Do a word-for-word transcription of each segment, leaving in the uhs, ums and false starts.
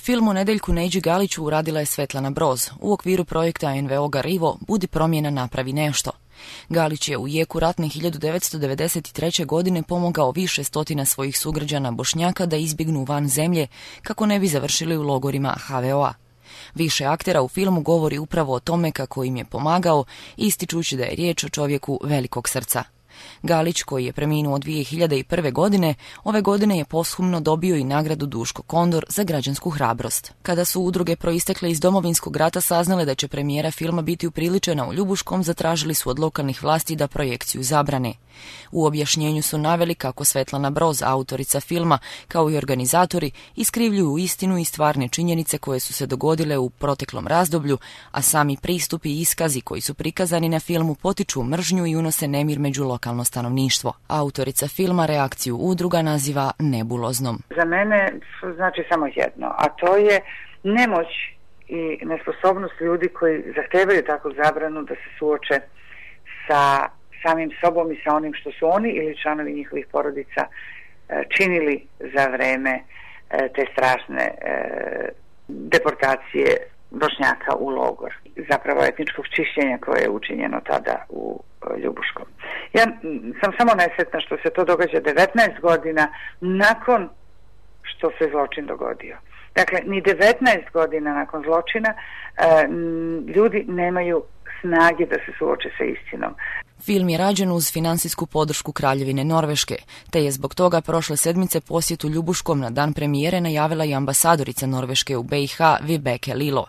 Film o Nedeljku Neđi Galiću uradila je Svetlana Broz u okviru projekta en ve o Garivo Budi promjena, napravi nešto. Galić je u jeku ratne hiljadu devetsto devedeset treće. godine pomogao više stotina svojih sugrađana Bošnjaka da izbjegnu van zemlje kako ne bi završili u logorima ha ve o a. Više aktera u filmu govori upravo o tome kako im je pomagao, ističući da je riječ o čovjeku velikog srca. Galić, koji je preminuo dvije hiljade prve. godine, ove godine je posthumno dobio i nagradu Duško Kondor za građansku hrabrost. Kada su udruge proistekle iz Domovinskog rata saznale da će premijera filma biti upriličena u Ljubuškom, zatražili su od lokalnih vlasti da projekciju zabrane. U objašnjenju su naveli kako Svetlana Broz, autorica filma, kao i organizatori, iskrivljuju istinu i stvarne činjenice koje su se dogodile u proteklom razdoblju, a sami pristupi i iskazi koji su prikazani na filmu potiču mržnju i unose nemir među lokalno stanovništvo. Autorica filma reakciju udruga naziva nebuloznom. Za mene znači samo jedno, a to je nemoć i nesposobnost ljudi koji zahtevaju takvu zabranu da se suoče sa samim sobom i sa onim što su oni ili članovi njihovih porodica činili za vreme te strašne deportacije Bošnjaka u logor. Zapravo etničkog čišćenja koje je učinjeno tada u Ljubuškom. Ja sam samo nesretna što se to događa devetnaest godina nakon što se zločin dogodio. Dakle, ni devetnaest godina nakon zločina ljudi nemaju snage da se suoče sa istinom. Film je rađen uz financijsku podršku Kraljevine Norveške, te je zbog toga prošle sedmice posjetu Ljubuškom na dan premijere najavila i ambasadorica Norveške u be i ha Vibeke Lilo.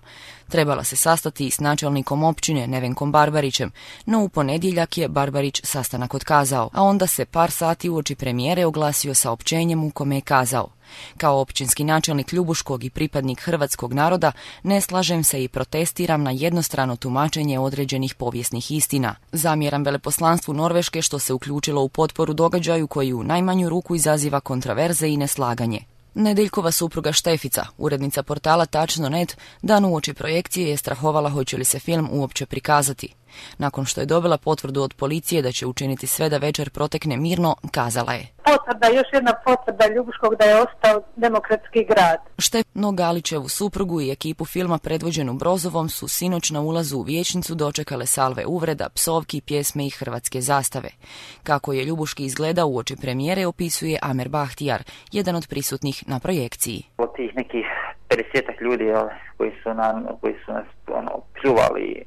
Trebala se sastati s načelnikom općine Nevenkom Barbarićem, no u ponedjeljak je Barbarić sastanak otkazao, a onda se par sati uoči premijere oglasio saopćenjem u kome je kazao: kao općinski načelnik Ljubuškog i pripadnik hrvatskog naroda ne slažem se i protestiram na jednostrano tumačenje određenih povijesnih istina. Zamjeram veleposlanstvu Norveške što se uključilo u potporu događaju koji u najmanju ruku izaziva kontraverze i neslaganje. Nedeljkova supruga Štefica, urednica portala tačno net, dan uoči projekcije je strahovala hoće li se film uopće prikazati. Nakon što je dobila potvrdu od policije da će učiniti sve da večer protekne mirno, kazala je: potvrda, još jedna potvrda Ljubuškog da je ostao demokratski grad. Štefno Galićevu suprugu i ekipu filma predvođenu Brozovom su sinoć na ulazu u vijećnicu dočekale salve uvreda, psovki, pjesme i hrvatske zastave. Kako je Ljubuški izgledao uoči premijere opisuje Amer Bahtijar, jedan od prisutnih na projekciji. Od tih nekih pedesetak ljudi koji su, nam, koji su nas ono, pljuvali,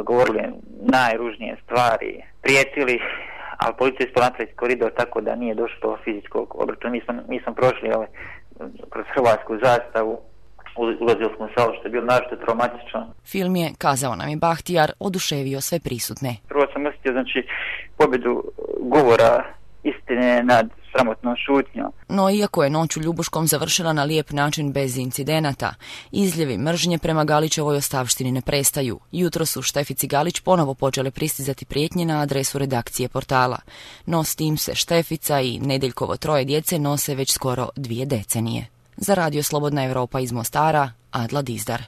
govorili najružnije stvari, prijetili, ali policija je napraviti koridor tako da nije došlo do fizičkog obračuna. Mi smo, mi smo prošli ovaj, kroz hrvatsku zastavu, ulazili smo u salu što je bilo našto traumatično. Film je, kazao nam je Bahtijar, oduševio sve prisutne. Prvo sam osjetio znači pobjedu govora istine nad sramotnom šutnjom. No iako je noć u Ljubuškom završila na lijep način bez incidenata, izljevi mržnje prema Galićevoj ostavštini ne prestaju. Jutro su Štefici Galić ponovo počele pristizati prijetnje na adresu redakcije portala. No s tim se Štefica i Nedeljkovo troje djece nose već skoro dvije decenije. Za Radio Slobodna Europa iz Mostara, Adla Dizdar.